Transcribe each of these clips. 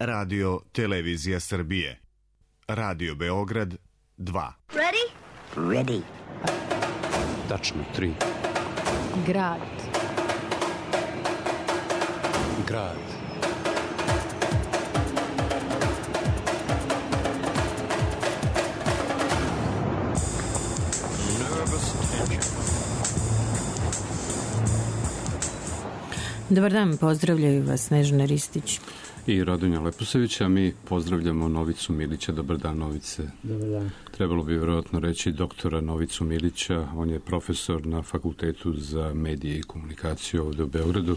Radio Televizija Srbije. Radio Beograd 2. Ready? Ready. Tačno 3. Grad. Grad. Dobar dan, pozdravljaju vas Snežana Ristić I Radonja Leposavić, a mi pozdravljamo Novicu Milića. Dobar dan, Novice. Dobar dan. Trebalo bi vjerojatno reći doktora Novicu Milića, on je profesor na Fakultetu za medije I komunikaciju ovdje u Beogradu.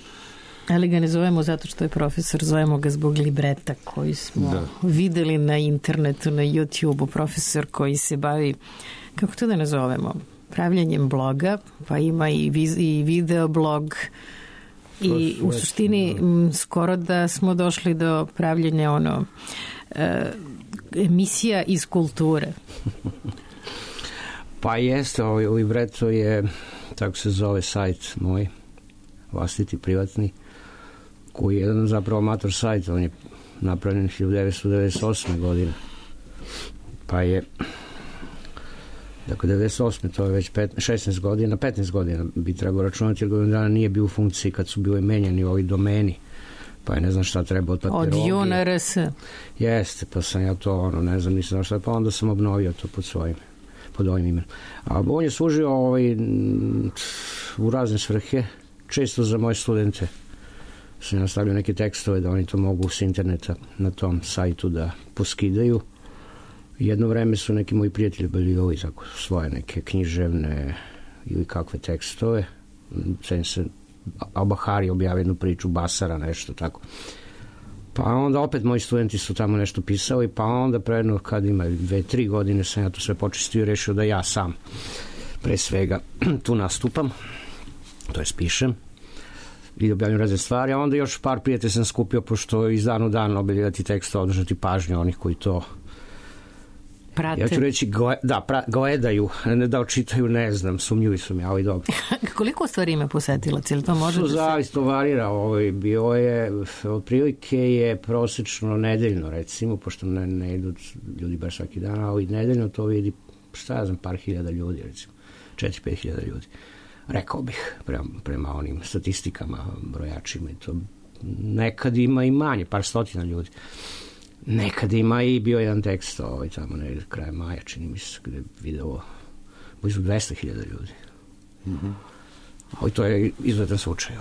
Ali ga ne zovemo zato što je profesor, zovemo ga zbog libreta koji smo videli na internetu, na YouTube-u. Profesor koji se bavi, kako to da nazovemo, pravljenjem bloga, pa ima i video blog. I u suštini skoro da smo došli do pravljenja emisija iz kulture. Pa jeste, u libretu je, tako se zove sajt moj, vlastiti, privatni, koji je jedan zapravo amator sajt, on je napravljen 1998. godine. Pa je, dakle, 98. to je već 16 godina, 15 godina bi trebalo računati, jer godinu dana nije bio u funkciji kad su bili menjani ovi domeni, pa je ne znam šta treba od papirologije. Od JUNRS. Jeste, pa sam ja to, ne znam, nisam znao šta, pa onda sam obnovio to pod ovim imenom. A on je služio u razne svrhe, često za moje studente. Sam ja stavio neke tekstove da oni to mogu s interneta na tom sajtu da poskidaju. Jedno vreme su neki moji prijatelji bili svoje neke književne ili kakve tekstove. Sen se Al-Bahari objavio jednu priču, Basara, nešto tako. Pa onda opet moji studenti su tamo nešto pisali, pa onda predno kad ima 2-3 godine sam ja to sve počistio I rešio da ja sam pre svega tu nastupam, to jest pišem I objavljam razne stvari, a onda još par prijatelja sam skupio, pošto iz dan u dan objavljati teksta, održati pažnju onih koji to prate. Ja ću reći, gledaju, ne da očitaju, ne znam, sumnjuju su mi, ali dobro. Koliko stvari ima posetilac, ili to može da se... Zavisno varira, bio je, otprilike je prosečno nedeljno, recimo, pošto ne idu ljudi baš svaki dan, ali nedeljno to vidi, šta ja znam, par hiljada ljudi, recimo, 4-5 hiljada ljudi. Rekao bih, prema onim statistikama, brojačima I to. Nekad ima I manje, par stotina ljudi. Nekad ima I bio jedan tekst tamo negdje kraj maja, čini mi se, gde je video blizu 200.000 ljudi. Ali to je izuzetan slučaj.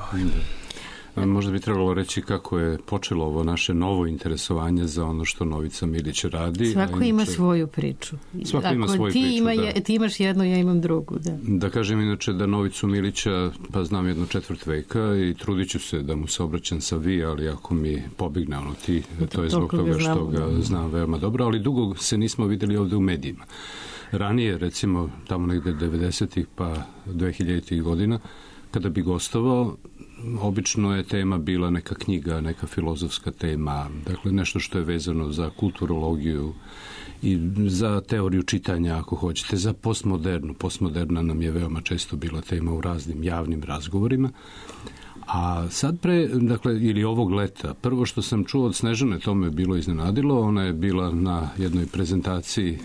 Možda bi trebalo reći kako je počelo ovo naše novo interesovanje za ono što Novica Milić radi. Svako ima svoju priču. Svako ima svoju priču, ti imaš jednu, ja imam drugu. Da kažem inače da Novicu Milića pa znam jedno 4 veka I trudit ću se da mu se obraćam sa vi, ali ako mi pobigne ti, to je zbog toga što ga znam veoma dobro, ali dugo se nismo vidjeli ovdje u medijima. Ranije, recimo, tamo negde 90-ih pa 2000-ih godina, kada bi gostovao, obično je tema bila neka knjiga, neka filozofska tema, dakle nešto što je vezano za kulturologiju I za teoriju čitanja, ako hoćete, za postmodernu. Postmoderna nam je veoma često bila tema u raznim javnim razgovorima. A sad ili ovog leta, prvo što sam čuo od Snežane, to me je bilo iznenadilo, ona je bila na jednoj prezentaciji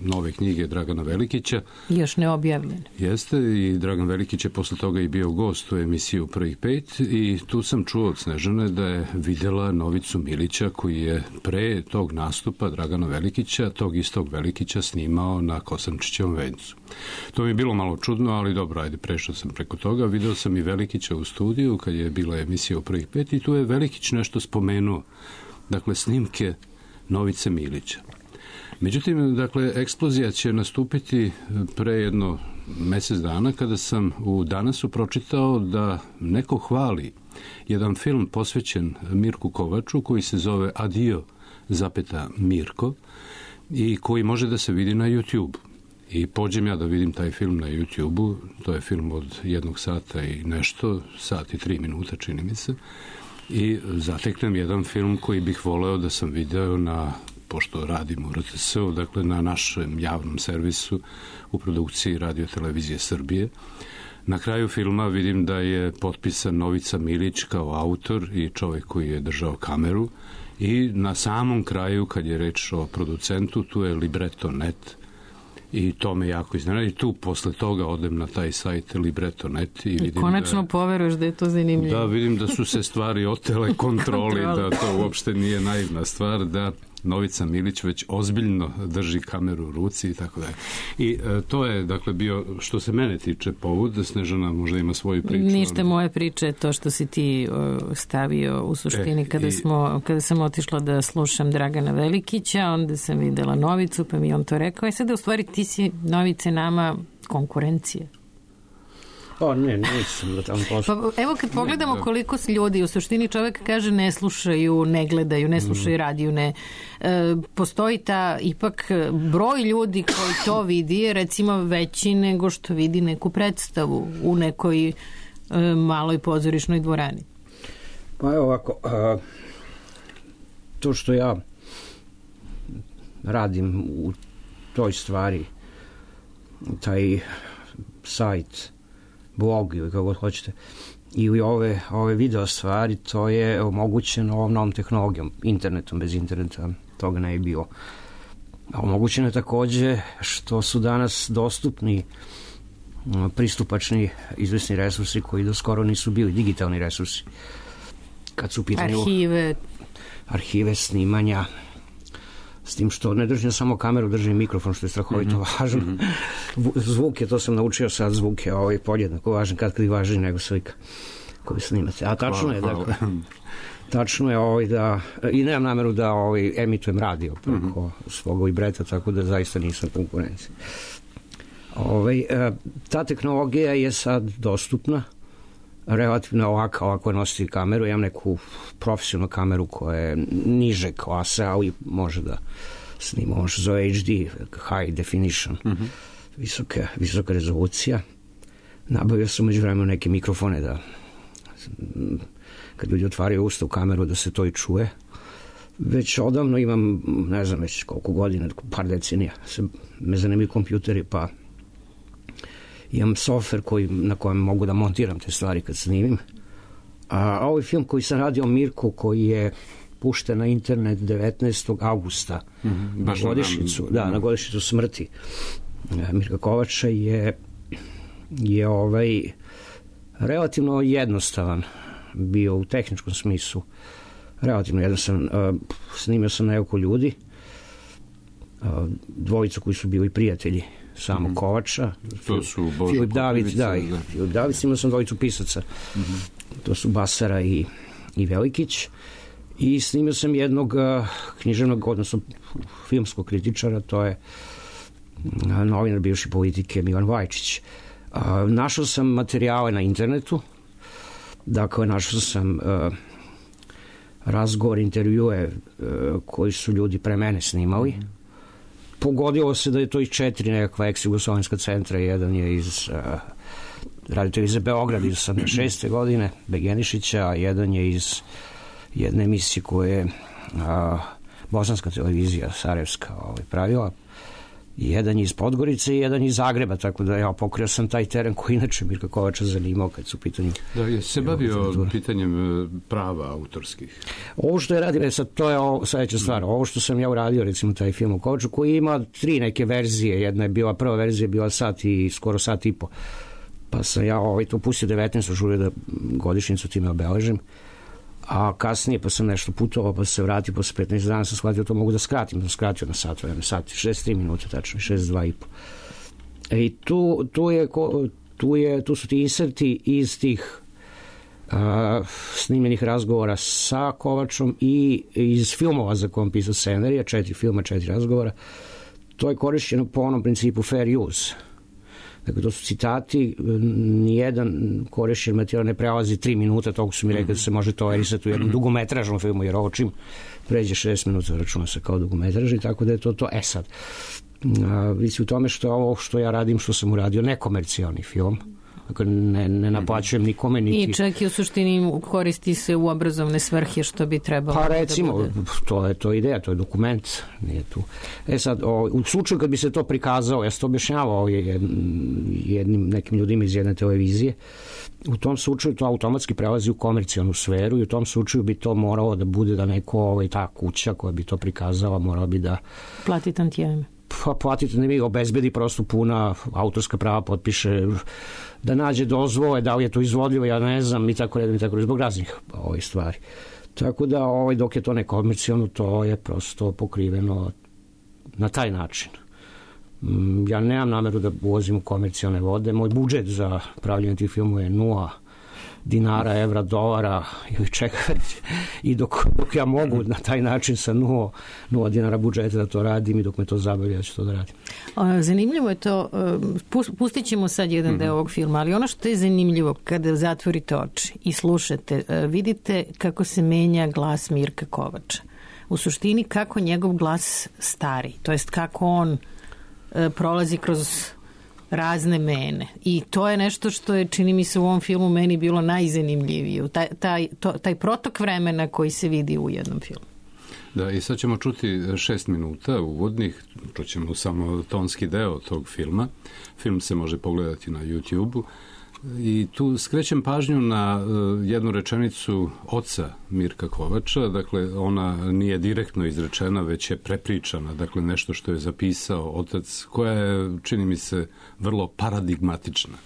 nove knjige Dragana Velikića. Još ne objavljene. Jeste, I Dragan Velikić je posle toga I bio gost u emisiju Prvih 5 I tu sam čuo od Snežane da je videla Novicu Milića koji je pre tog nastupa Dragana Velikića, tog istog Velikića snimao na Kosančićevom vencu. To mi je bilo malo čudno, ali dobro, ajde, prešao sam preko toga. Video sam I Velikića u studiju kad je bila emisija u Prvih 5 I tu je Velikić nešto spomenuo. Dakle, snimke Novice Milića. Međutim, dakle, eksplozija će nastupiti pre jedno mesec dana kada sam u Danasu pročitao da neko hvali jedan film posvećen Mirku Kovaču koji se zove Adio, Mirko I koji može da se vidi na YouTube. I pođem ja da vidim taj film na YouTube-u, to je film od 1 sata I nešto, sat I 3 minuta čini mi se, I zateknem jedan film koji bih voleo da sam video pošto radim u RTS-u, dakle na našem javnom servisu u produkciji Radio Televizije Srbije. Na kraju filma vidim da je potpisan Novica Milić kao autor I čovjek koji je držao kameru I na samom kraju, kad je reč o producentu, tu je Libretto.net i to me jako iznenadi. Tu posle toga odem na taj sajt Libretto.net i vidim konačno poveruješ da je to zanimljivo. Da, vidim da su se stvari otele kontroli, da to uopšte nije naivna stvar, da Novica Milić već ozbiljno drži kameru u ruci i tako dalje. I to je, dakle, bio, što se mene tiče, povod. Snežana možda ima svoju priču. Ništa moje priče, to što si ti stavio u suštini kada sam otišla da slušam Dragana Velikića, onda sam videla Novicu, pa mi on to rekao. Sada u stvari ti si, Novice, nama konkurencija. Nisam da tamo poslu. Pa evo kad pogledamo koliko ljudi, u suštini čovjek kaže ne slušaju, ne gledaju, ne slušaju radiju, postoji ta ipak broj ljudi koji to vidi je recimo veći nego što vidi neku predstavu u nekoj maloj pozorišnoj dvorani. Pa evo ovako, to što ja radim u toj stvari, taj sajt, blog ili kako god hoćete, i ove video stvari, to je omogućeno ovom novom tehnologijom, internetom. Bez interneta toga ne je bilo. Omogućeno je takođe što su danas dostupni pristupačni resursi koji do skoro nisu bili, digitalni resursi. Kad su u pitanju arhive, snimanja, s tim što ne držim samo kameru, držim mikrofon, što je strahovito važno. Zvuk je, to sam naučio sad, zvuk je podjednako važan, kad i važniji nego slika koju snimate. A tačno je, dakle, tačno je da, i nemam nameru da emitujem radio preko svog libreta, tako da zaista nisam konkurencija. Ta tehnologija je sad dostupna, relativno ovako nositi kameru. Ja imam neku profesionalnu kameru koja je niže klase, ali može da snima, ono što zove HD, high definition, visoka rezolucija. Nabavio sam među vremenu neke mikrofone da kad ljudi otvaraju usta u kameru da se to i čuje. Već odavno imam, ne znam već koliko godina, par decenija, me zanimaju kompjuteri, pa imam softver na kojem mogu da montiram te stvari kad snimim. A ovaj film koji sam radio o Mirku, koji je pušten na internet 19. augusta na godišnjicu smrti Mirka Kovača, je relativno jednostavan bio u tehničkom smislu. Relativno jednostavan. Snimio sam nekoliko ljudi, dvojicu koji su bili prijatelji samog Kovača, Filip David, Filip David, snimao sam dvojicu pisaca, to su Basara i Velikić, i snimio sam jednog književnog, odnosno filmskog kritičara, to je novinar bivše politike Milan Vajčić. Našao sam materijale na internetu, dakle našao sam razgovor, intervjue koji su ljudi pre mene snimali. Pogodilo se da je to iz 4 nekakva ex-jugoslovenska centra. Jedan je iz Radio-televizije Beograd iz 86. godine, Begenišića, a jedan je iz jedne emisije koje je bosanska televizija Sarajevska pravila. Jedan je iz Podgorice i jedan iz Zagreba, tako da ja pokrio sam taj teren koji inače Mirka Kovača zanimao kad su pitanje. Da, je se bavio pitanjem prava autorskih? Ovo što je radio, sad to je sledeća stvar, ovo što sam ja uradio, recimo taj film o Kovaču, koji ima 3 neke verzije, jedna je bila, prva verzija je bila skoro sat i po, pa sam ja to pustio 19. želio da godišnjicu time obeležim, a kasnije pa sam nešto putovao, pa se vratio posle 15 dana, sam shvatio to mogu da skratim, sam skratio na sat, 63 minute tačno, 62 i po. I tu su ti inserti iz tih snimljenih razgovora sa Kovačom i iz filmova za kojom pisao scenarija, 4 filma, 4 razgovora. To je korišćeno po onom principu fair use. Dakle, to su citati, nijedan korišćen materijal ne prelazi 3 minuta, toliko su mi rekli da se može tolerisati u jednom dugometražnom filmu, jer ovo čim pređe 6 minuta računa se kao dugometraž, i tako da je to. Sad, vidi u tome što ovo što ja radim, što sam uradio, nekomercijalni film, Dakle, ne naplaćujem nikome. I čak i u suštini koristi se u obrazovne svrhe, što bi trebalo. Pa recimo, to je ideja, to je dokument, nije tu. Sad, u slučaju kad bi se to prikazalo, ja sam to objašnjavao nekim ljudima iz jedne televizije, u tom slučaju to automatski prelazi u komercijalnu sferu i u tom slučaju bi to moralo da bude da neko, ta kuća koja bi to prikazala, morala bi da plati tantijeme. Pa platite, ne bi obezbedi prosto puna autorska prava, potpiše, da nađe dozvole, da li je to izvodljivo, ja ne znam, i tako redom, zbog raznih stvari. Tako da, dok je to nekomercijalno, to je prosto pokriveno na taj način. Ja nemam nameru da ulazim u komercijalne vode. Moj budžet za pravljenje tih filmova je 0 dinara, evra, dolara ili čega već. I dok ja mogu na taj način sa 0 dinara budžeta da to radim i dok me to zabavlja, ja ću to da radim. Zanimljivo je to, pustit ćemo sad jedan deo ovog filma, ali ono što je zanimljivo kada zatvorite oči i slušate, vidite kako se menja glas Mirka Kovača. U suštini kako njegov glas stari, to jest kako on prolazi kroz razne mene. I to je nešto što je, čini mi se, u ovom filmu meni bilo najzanimljivije. Taj protok vremena koji se vidi u jednom filmu. Da, i sad ćemo čuti 6 minuta uvodnih, čućemo samo tonski deo tog filma. Film se može pogledati na YouTube-u. I tu skrećem pažnju na jednu rečenicu oca Mirka Kovača, dakle ona nije direktno izrečena, već je prepričana, dakle nešto što je zapisao otac, koja je, čini mi se, vrlo paradigmatična.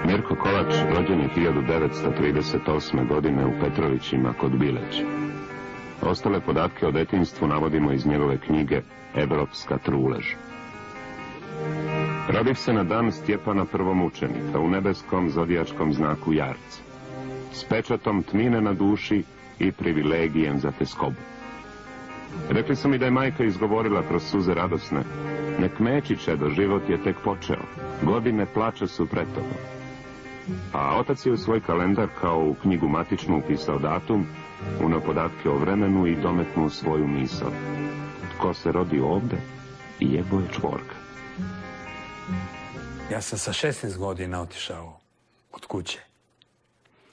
Mirko Kovač rođen je 1938. godine u Petrovićima kod Bileća. Ostale podatke o detinjstvu navodimo iz njegove knjige Evropska trulež. Rodih se na dan Stjepana prvomučenika u nebeskom zodijačkom znaku Jarca, s pečatom tmine na duši i privilegijem za teskobu. Rekli su mi da je majka izgovorila kroz suze radosne: nek meči, čedo, život je tek počeo, godine plača su pred tobom. A otac je u svoj kalendar kao u knjigu matičnu upisao datum, uneo podatke o vremenu i dometnuo svoju misao: tko se rodi ovde, jebo je čvorka. Ja sam sa 16 godina otišao od kuće,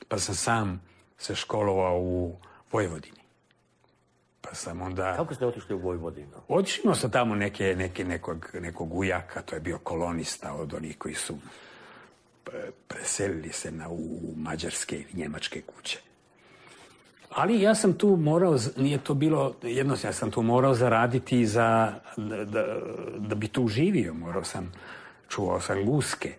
pa sam sam se školovao u Vojvodini. Pa sam onda... Kako ste otišli u Vojvodinu? Otišao sam tamo nekog ujaka, to je bio kolonista od onih koji su preselili se u mađarske i njemačke kuće. Ali ja sam tu morao, nije to bilo jednostavno, ja sam tu morao zaraditi da bi tu živio. Čuvao sam guske,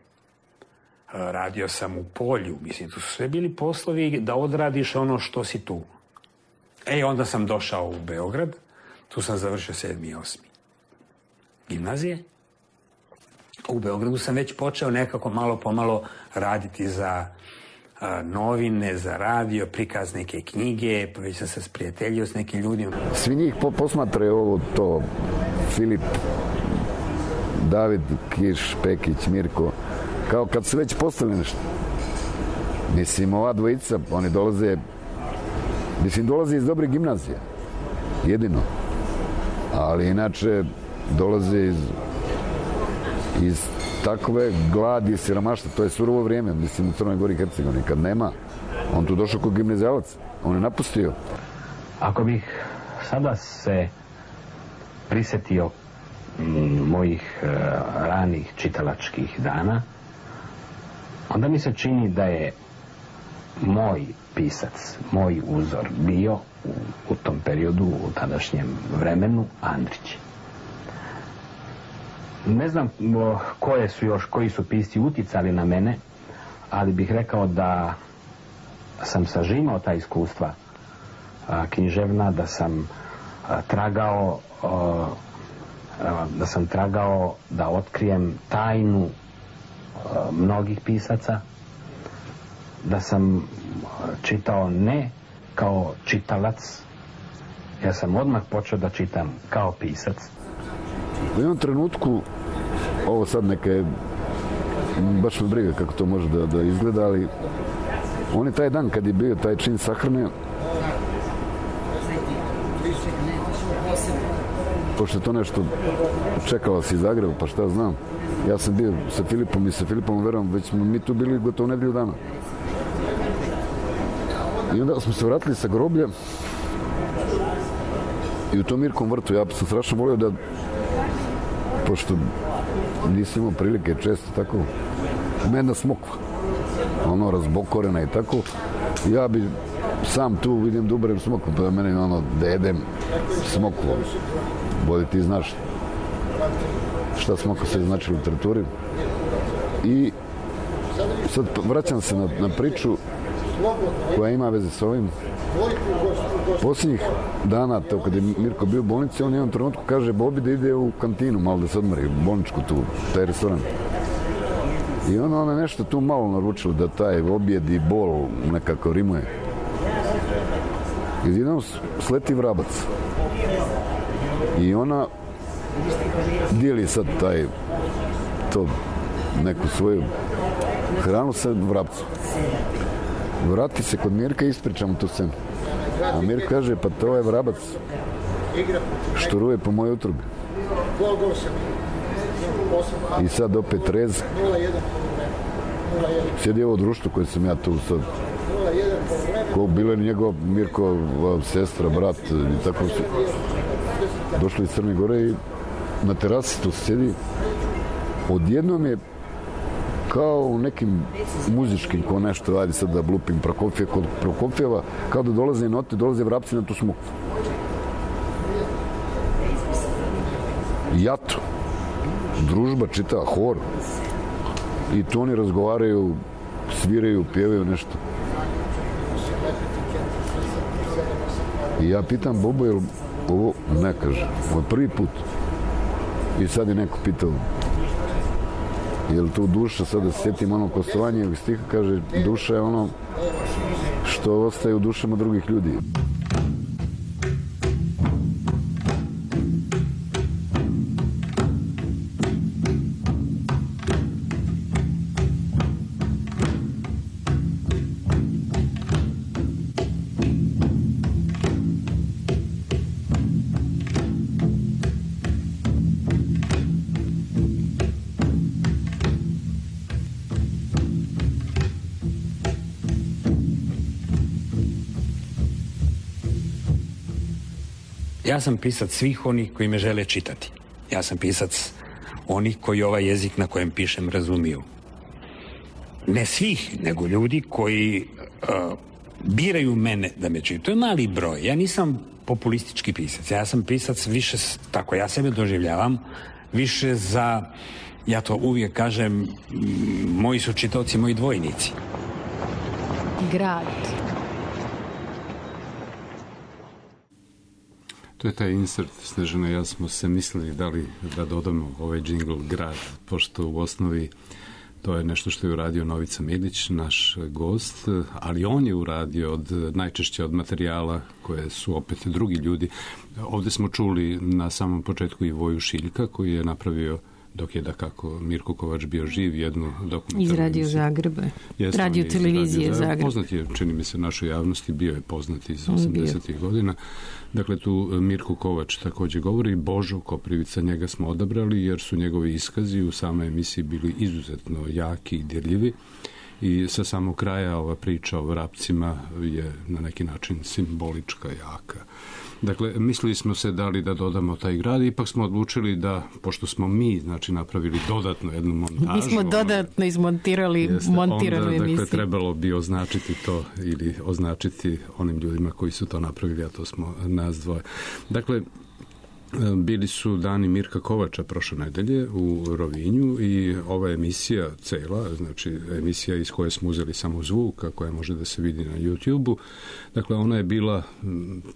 radio sam u polju, mislim, tu su sve bili poslovi da odradiš ono što si tu. Onda sam došao u Beograd, tu sam završio 7. i 8. gimnazije. U Beogradu sam već počeo nekako malo pomalo raditi za novine, za radio, prikaz neke knjige, pa već sam se sprijateljio s nekim ljudima. Svi njih posmatraju ovo to, Filip, David, Kiš, Pekić, Mirko, kao kad su već postali nešto. Mislim, ova dvojica, oni dolaze iz dobre gimnazije, jedino. Ali inače dolaze iz takve gladi i siromaštva, to je surovo vrijeme, mislim, u Crnoj Gori i Hercegovini. Kad nema, on tu došao kao gimnazijalac, on je napustio. Ako bih sada se prisjetio mojih ranih čitalačkih dana, onda mi se čini da je moj pisac, moj uzor bio u tom periodu, u tadašnjem vremenu, Andrić. Ne znam koji su pisci utjecali na mene, ali bih rekao da sam sažimao ta iskustva književna, da sam tragao da otkrijem tajnu mnogih pisaca, da sam čitao ne kao čitalac, ja sam odmah počeo da čitam kao pisac. U jednom trenutku, ovo sad neke, baš me briga kako to može da izgleda, ali on je taj dan kad je bio taj čin sahrane, pošto je to nešto čekalo si iz Zagreba, pa šta znam, ja sam bio sa Filipom i sa Filipom verujem, već smo mi tu bili gotovo nedelju dana. I onda smo se vratili sa groblja i u tom Mirkom vrtu ja sam strašno volio da, pošto nisam imao prilike često tako, ima jedna smokva, ono razbokorena i tako, ja bi sam tu vidim da uberem smokvu, pa da mene ono da jedem smokvu. Bolje ti znaš šta smokva se znači u literaturi. I sad vraćam se na priču koja ima veze s ovim. Posljednjih dana, to kad je Mirko bio u bolnici, on jednom trenutku kaže Bobi da ide u kantinu, malo da se odmori, u bolničku tu, taj restoran. I ona je nešto tu malo naručila da taj objed i bol nekako rimuje. I jednom sleti vrabac. I ona dijeli sad to neku svoju hranu sa vrabcom. Vrati se kod Mirka i ispričamo tu scenu. A Mirko kaže, pa to je vrabac što ruje po mojoj utrubi. I sad opet rez. Sjedi ovo društvo koje sam ja tu sad. Ko bilo je njegov Mirko, sestra, brat i tako su došli iz Crne Gore i na terasi tu sjedi. Odjednom je kao u nekim muzičkim, ko nešto, ajde sad da blupim kod Prokofjeva, kao da dolaze note, dolaze vrapci na tu smokvu. Jato. Družba čita hor. I tu oni razgovaraju, sviraju, pjevaju nešto. I ja pitam Bobo, jel ovo ne kaže, ovo je prvi put. I sad je neko pitao, jel tu duša, sad da se sjetim ono kostovanje ovih stiha, kaže, duša je ono što ostaje u dušama drugih ljudi. Ja sam pisac svih onih koji me žele čitati. Ja sam pisac onih koji ovaj jezik na kojem pišem razumiju. Ne svih, nego ljudi koji biraju mene da me čitaju. To je mali broj. Ja nisam populistički pisac. Ja sam pisac više, tako ja sebe doživljavam, više za, ja to uvijek kažem, moji su čitaoci, moji dvojnici. Grad. To je taj insert, Snežana, ja smo se mislili da dodamo ovaj džingl grad, pošto u osnovi to je nešto što je uradio Novica Milić, naš gost, ali on je uradio najčešće od materijala koje su opet drugi ljudi. Ovdje smo čuli na samom početku i Voju Šiljka koji je napravio, dok je dakako Mirko Kovač bio živ, jednu dokumentarnu iz Radio Zagreba. Radio televizije Zagreb. Poznat je, čini mi se, našoj javnosti, bio je poznat iz 80. godina. Dakle, tu Mirko Kovač također govori, Božo Koprivica, njega smo odabrali jer su njegovi iskazi u samoj emisiji bili izuzetno jaki i dirljivi. I sa samog kraja ova priča o vrapcima je na neki način simbolička, jaka. Dakle, mislili smo se da li da dodamo taj grad, ipak smo odlučili da, pošto smo mi, znači, napravili dodatno jednu montažu. Mi smo dodatno izmontirali montiranu emisiju. Dakle, trebalo bi označiti to ili označiti onim ljudima koji su to napravili, a to smo nas dvoje. Dakle, bili su dani Mirka Kovača prošle nedelje u Rovinju i ova emisija cela, znači emisija iz koje smo uzeli samo zvuk, koja može da se vidi na YouTube-u, dakle ona je bila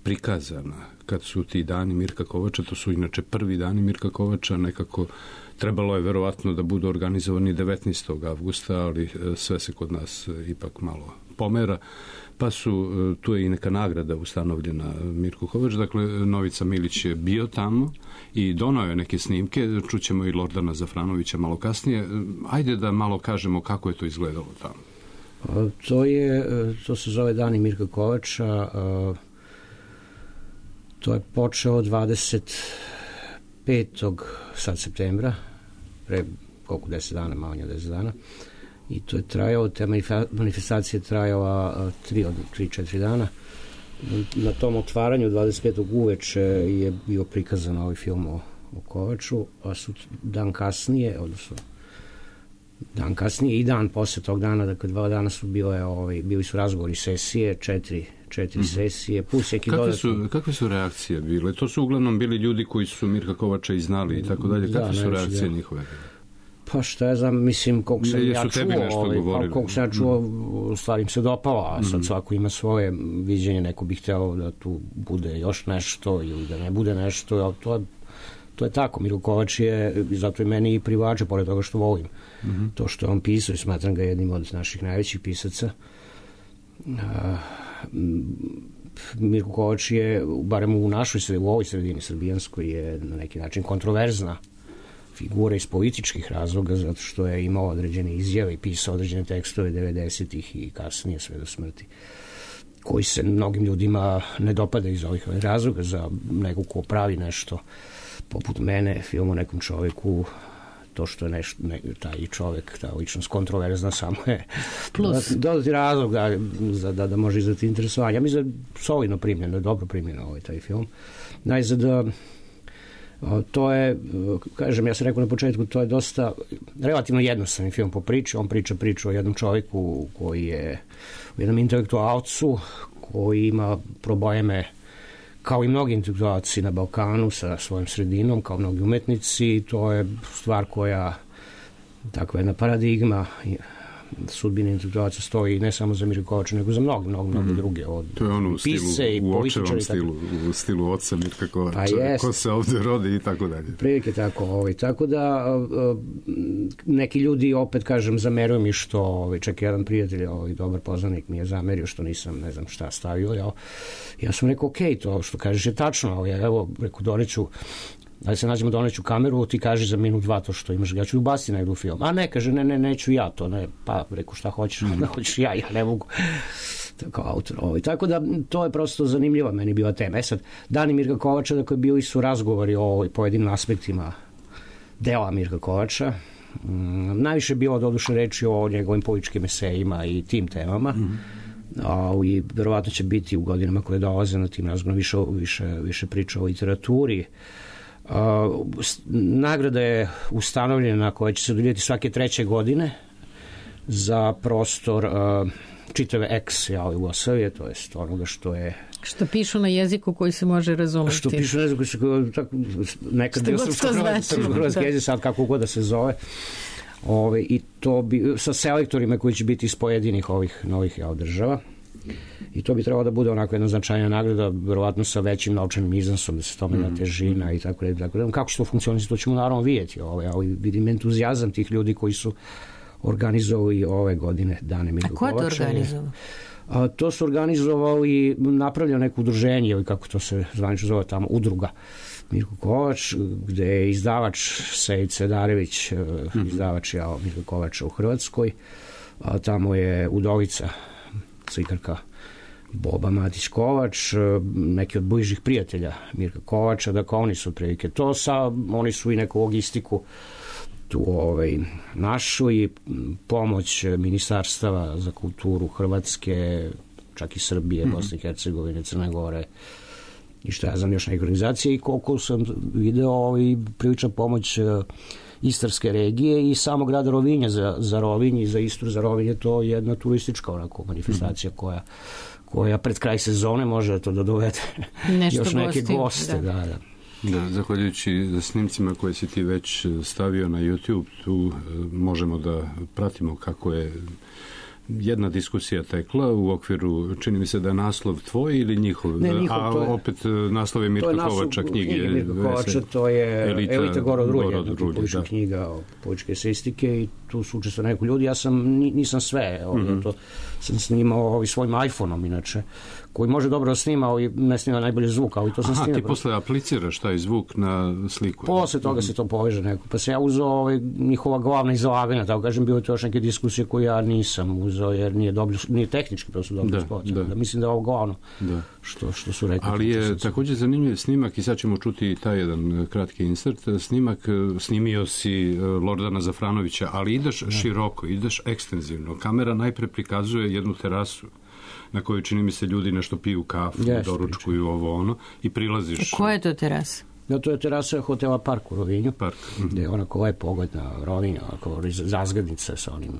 prikazana kad su ti dani Mirka Kovača, to su inače prvi dani Mirka Kovača, nekako trebalo je verovatno da budu organizovani 19. avgusta, ali sve se kod nas ipak malo pomera, pa tu je i neka nagrada ustanovljena Mirku Kovač. Dakle, Novica Milić je bio tamo i donao je neke snimke, čućemo i Lordana Zafranovića malo kasnije. Ajde da malo kažemo kako je to izgledalo tamo. To se zove Dani Mirka Kovača. To je počeo 25. sad septembra, pre koliko 10 dana, malo nje 10 dana. I to je trajao, te manifestacije trajala 3-4 dana. Na tom otvaranju 25. uveče je bio prikazan ovaj film o Kovaču, a dan kasnije i dan posle tog dana, dakle 2 dana su bili su razgovori, sesije, 4 sesije, plus neki dodatno. Kakve su reakcije bile? To su uglavnom bili ljudi koji su Mirka Kovača i znali i tako dalje. Kakve su reakcije njihove? Pa šta ja znam, mislim, koliko sam ja čuo, stvar im se dopala, a sad svako ima svoje viđenje, neko bi hteo da tu bude još nešto ili da ne bude nešto, ali to je tako. Mirko Kovač je, zato i meni i privlače, pored toga što volim. To što je on pisao i smatram ga jednim od naših najvećih pisaca. Mirko Kovač je, barem u ovoj sredini srbijanskoj, je na neki način kontroverzna figura iz političkih razloga, zato što je imao određene izjave i pisao određene tekstove 90-ih i kasnije sve do smrti, koji se mnogim ljudima ne dopada iz ovih razloga. Za nekog ko pravi nešto poput mene, film o nekom čoveku, to što je taj čovek, ta ličnost kontroverzna, samo je dodati razlog da može izvati interesovanje. Ja mislim da je solidno primljeno, dobro primljeno taj film. Najzad, to je, kažem, ja sam rekao na početku, to je dosta relativno jednostavni film po priči. On priču o jednom čovjeku koji je, o jednom intelektualcu koji ima probleme kao i mnogi intelektualci na Balkanu sa svojom sredinom, kao mnogi umetnici. To je stvar koja, takva jedna paradigma sudbine intelektualaca stoji ne samo za Mirka Kovača, nego za mnogi druge, od pisce i političari. U stilu oca Mirka Kovača, ko se ovde rodi i tako dalje. Prilike tako. Tako da neki ljudi, opet kažem, zameruju mi što, čak jedan prijatelj, dobar poznanik mi je zamerio što nisam, ne znam šta stavio. Ja sam rekao, okej, to što kažeš je tačno. Evo, rekao, doneću, da se nađemo, doneću kameru, ti kaži za minut 2 to što imaš, ja ću ubaciti negdje u film. A ne, kaže, neću ja to, ne, pa reku šta hoćeš, hoćeš ja ne mogu, kao autor. Tako da, to je prosto zanimljiva meni bila tema. Sad, Dani Mirka Kovača, dakle, bili su razgovori o pojedinim aspektima dela Mirka Kovača. Najviše je bilo doduše reči o njegovim političkim esejima i tim temama. I verovatno će biti u godinama koje dolaze na tim razgovorom više priča o literaturi. Nagrada je ustanovljena koja će se dodijeliti svake 3. godine za prostor čitave ex-Jugoslavije, to jest onoga što je... Što pišu na jeziku koji se može razumeti. Što pišu na jeziku koji se nekad bio srpsko-hrvatski jezik, sad kako god da se zove. I to bi sa selektorima koji će biti iz pojedinih ovih novih država. I to bi trebalo da bude onako jedna značajna nagrada, verovatno sa većim novčanim iznosom, da se tome da težina i tako dalje. Kako će to funkcionisati, to ćemo naravno vidjeti. Ali vidim entuzijazam tih ljudi koji su organizovali ove godine Dane Mirka Kovača. A ko je to organizovao? To su organizovali, napravljeno neko udruženje, ili kako to se zvanično zove tamo, udruga Mirko Kovač, gde je izdavač Sejid Sedarević, izdavač Mirka Kovača u Hrvatskoj. Tamo je udovica, slikarka Boba Matić Kovač, neki od bližih prijatelja Mirka Kovača, dakle oni su otprilike to, oni su i neku logistiku tu našu i pomoć ministarstava za kulturu Hrvatske, čak i Srbije, Bosne i Hercegovine, Crne Gore i šta ja znam još neke organizacije, i koliko sam video i prilična pomoć Istarske regije i samo grada Rovinja za Rovinj i za Istru za Rovinj je to jedna turistička onako manifestacija koja pred kraj sezone može to da dovede još neke goste. Da, zahvaljujući snimcima koje si ti već stavio na YouTube, tu možemo da pratimo kako je jedna diskusija tekla u okviru, čini mi se da je naslov tvoj ili njihov, ne, njihov, a opet naslov je Mirka Kovača knjige. Mirka Kovača, to je Elita Gorod Rulje, politička knjiga o političke estetike i tu su učestvovali neko ljudi. Ja nisam sve, to sam snimao svojim iPhone-om inače, koji može dobro snimao i ne snima najbolje zvuk, ali to sam snimao. Ti posle apliciraš taj zvuk na sliku? Posle toga se to poveže neko. Pa se ja uzeo njihova glavna izlaganja, tako kažem, bilo to još neke diskusije koje ja nisam uzeo, jer nije tehnički prosto dobro spot. Da, mislim da je ovo glavno što su rekli. Ali je također zanimljiv snimak i sad ćemo čuti taj jedan kratki insert. Snimak, snimio si Lordana Zafranovića, ali ideš široko, ideš ekstenzivno. Kamera najpre prikazuje jednu terasu na kojoj, čini mi se, ljudi nešto piju kafu, doručkuju ovo ono i prilaziš. Koja je to terasa? Da, to je terasa hotela Park u Rovinju, gde je onako ovaj pogled na Rovinju, onako razglednice sa onim.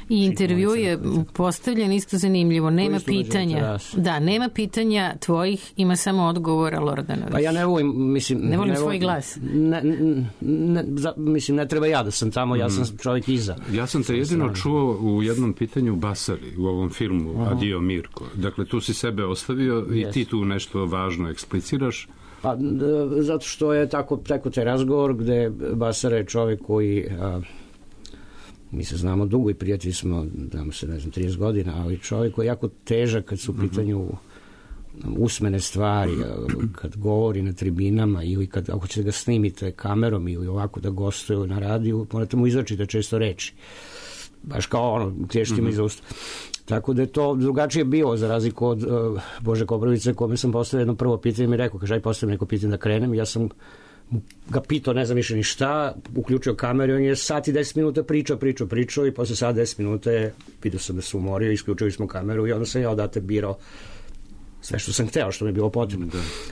I intervju je postavljen isto zanimljivo, nema pitanja. Da, nema pitanja tvojih, ima samo odgovora Lordanović. Pa ja ne volim, mislim... Ne volim svoj glas. Mislim, ne treba ja da sam tamo, ja sam čovjek iza. Ja sam te jedino čuo u jednom pitanju Basari, u ovom filmu Adio Mirko. Dakle, tu si sebe ostavio i ti tu nešto važno ekspliciraš. Pa, zato što je tako taj razgovor gde Basara je čovjek koji mi se znamo dugo i prijatelji smo, znamo se, ne znam, 30 godina, ali čovjek koji je jako težak kad su u pitanju usmene stvari, kad govori na tribinama ili ako ćete ga snimite kamerom ili ovako da gostuje na radiju, morate mu izračiti često reči. Baš kao klještima iz usta. Tako da je to drugačije bilo, za razliku od Bože Koprivice, kome sam postavio jedno prvo pitanje i mi rekao, kaže, aj postavim neko pitanje da krenem. Ja sam ga pitao, ne znam više ni šta, uključio kameru i on je sat i 10 minuta pričao i posle sat 10 minuta vidio sam da se umorio, isključili smo kameru i onda sam ja odate birao sve što sam hteo, što mi je bilo potrebno.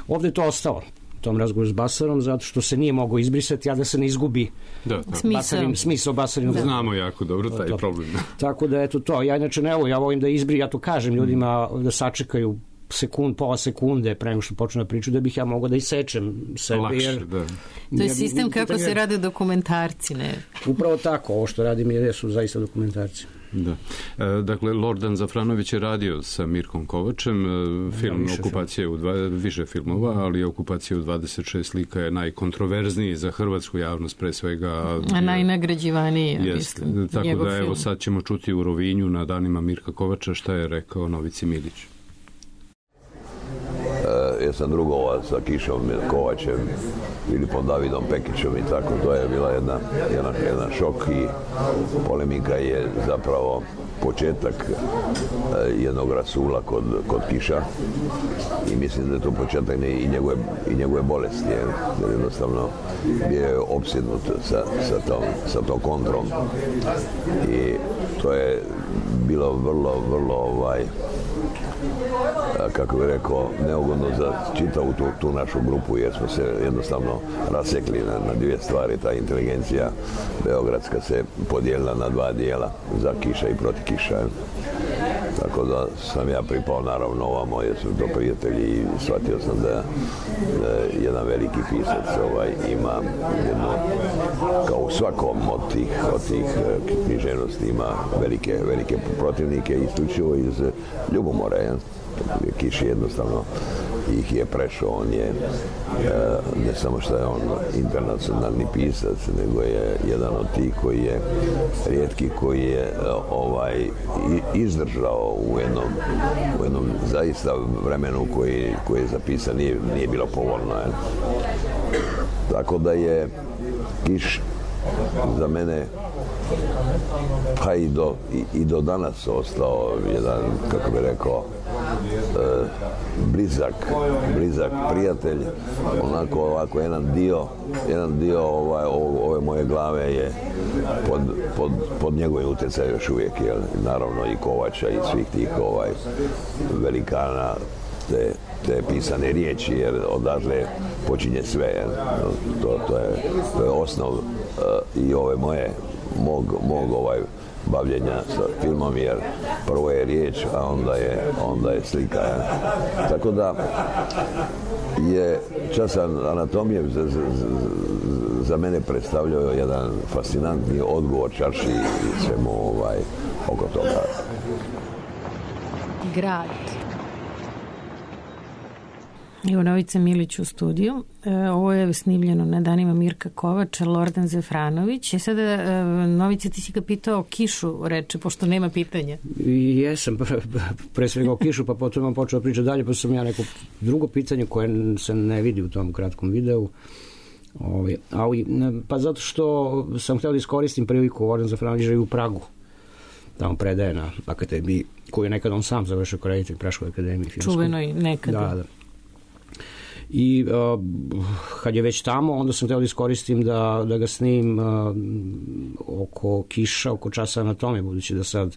Ovde je to ostalo, tom razgovoru s Basarom, zato što se nije mogao izbrisati, a da se ne izgubi smisao Basarinog. Znamo jako dobro taj problem. Tako da, eto to. Ja inače ne volim, ja volim da ja to kažem ljudima da sačekaju pola sekunde pre nego što počnu da priču, da bih ja mogao da isečem sebe. Lakše, da. To je sistem kako se rade dokumentarci, ne? Upravo tako, ovo što radim su zaista dokumentarci. Da. Dakle, Lordan Zafranović je radio sa Mirkom Kovačem, film Okupacija u više filmova, ali Okupacija u 26 slika je najkontroverzniji za hrvatsku javnost, pre svega. A najnagrađivaniji, mislim. Tako da, evo, sad ćemo čuti u Rovinju na danima Mirka Kovača šta je rekao Novici Milić. Ja sam drugovao sa Kišom Kovačem, Filipom Davidom Pekićem i tako, to je bila jedan šok i polemika je zapravo početak jednog rasula kod Kiša i mislim da je to početak i njegove bolesti, jer jednostavno bio je opsjednut sa tom kontrom i to je bilo vrlo kako bih rekao, neugodno za čitavu tu našu grupu, jer smo se jednostavno rasekli na dvije stvari. Ta inteligencija beogradska se podijelila na dva dijela, za Kiša i protiv Kiša. Tako da sam ja pripao naravno ovamo, jer su to prijatelji i shvatio sam da jedan veliki pisac ima jedno, kao u svakom od tih književnosti ima velike protivnike, isključivo iz ljubomore. Kiš jednostavno ih je prešao, on je ne samo što je on internacionalni pisac, nego je jedan od tih koji je rijetki, koji je izdržao u jednom zaista vremenu koji je zapisan, nije bilo povoljno. Tako da je Kiš za mene pa i do danas ostao jedan, kako bi rekao, blizak prijatelj, onako ovako jedan dio ove moje glave je pod njegovim utjecajem još uvijek, naravno i Kovača i svih tih velikana te pisane riječi, jer odatle počinje sve, to je osnov i ove mog bavljenja sa filmom, jer prvo je riječ, a onda je slika. Tako da je časan anatomije za mene predstavljao jedan fascinantni odgovor čarši i svemu oko toga. Grad. Evo Novica Milić u studiju. Ovo je snimljeno na danima Mirka Kovača, Lordan Zefranović. Sada, Novica, ti si ga pitao o Kišu, reče, pošto nema pitanja. Jesam, pre svega o Kišu, pa potom vam počeo pričati dalje, pa sam ja neko drugo pitanje koje se ne vidi u tom kratkom videu. Pa zato što sam htio da iskoristim priliku, Lordan Zefranović živi u Pragu. Tamo predaje na akademiji, koju je nekad on sam završio kao reditelj Praškoj akademiji. Čuvenoj nekada. Da. I kad je već tamo, onda sam htio da iskoristim da ga snim oko Kiša, oko časa anatomije, budući da sad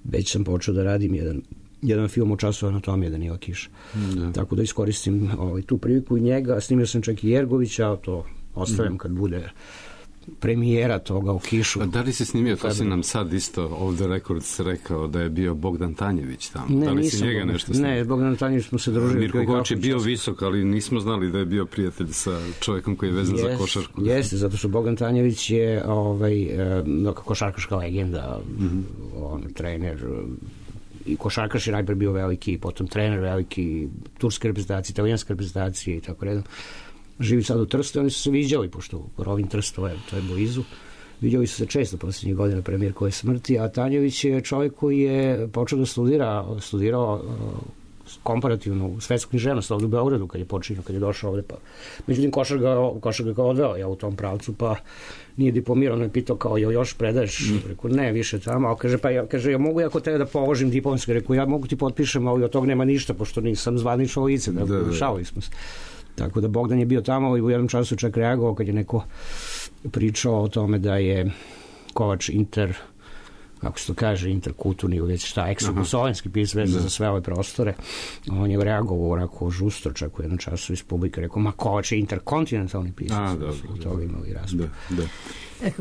već sam počeo da radim jedan film o času anatomije Danila Kiša. Tako da iskoristim tu priliku i njega. Snimio sam čak i Jergovića, to ostavljam kad bude premijera toga u Kišu. A da li si snimio, to si nam sad isto ovdje Records rekao da je bio Bogdan Tanjević tamo. Ne, da li si njega nešto snimio? Ne, Bogdan Tanjević smo se družili. Mirko Kovač je bio visok, ali nismo znali da je bio prijatelj sa čovjekom koji je vezan za košarku. Jeste, zato što Bogdan Tanjević je košarkaška legenda, on trener i košarkaš je najprije bio veliki, potom trener veliki turske reprezentacije, italijanske reprezentacije i tako redom. Živi sad u Trstu, oni su se viđali, pošto Rovin Trst, to je blizu. Viđali su se često posljednjih godina pre Mirkove smrti, a Tanjević je čovjek koji je počeo da studirao komparativnu svetsku književnost ovdje u Beogradu kad je počinio, kad je došao ovdje. Pa. Međutim, Košar ga odveo u tom pravcu, pa nije diplomirao, on je pitao kao, još predaješ? Rekao, ne, više tamo. A kaže, ja mogu ako tebe da položim diplomski? Rekao, ja mogu ti potpišem, ali od toga nema ništa, pošto nisam zvanično lice. Šalili smo se. Tako da Bogdan je bio tamo i u jednom času čak reagovao kad je neko pričao o tome da je Kovač kako se to kaže, interkulturni ili već šta, eksoposlovenski pisao vezan za sve ove prostore. On je reagovao onako žustro, čak u jednom času iz publike rekao, ma Kovač je interkontinentalni pisac. Od toga imali raspravu.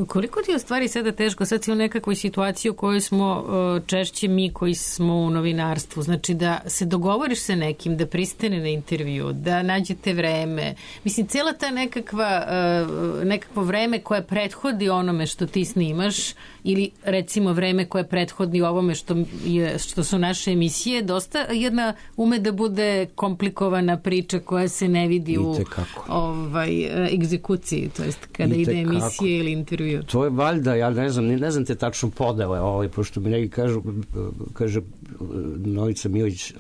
Koliko ti je u stvari sada teško, sad si u nekakvoj situaciji u kojoj smo češće mi koji smo u novinarstvu, znači da se dogovoriš sa nekim, da pristane na intervju, da nađete vreme, mislim cijela ta nekakvo vreme koje prethodi onome što ti snimaš ili recimo vreme koje prethodi ovome što su naše emisije, dosta jedna ume da bude komplikovana priča koja se ne vidi u egzekuciji, to jest kada ide emisije ili intervju. To je valjda, ja ne znam te tačno podele, pošto mi neki kaže Novica Milić,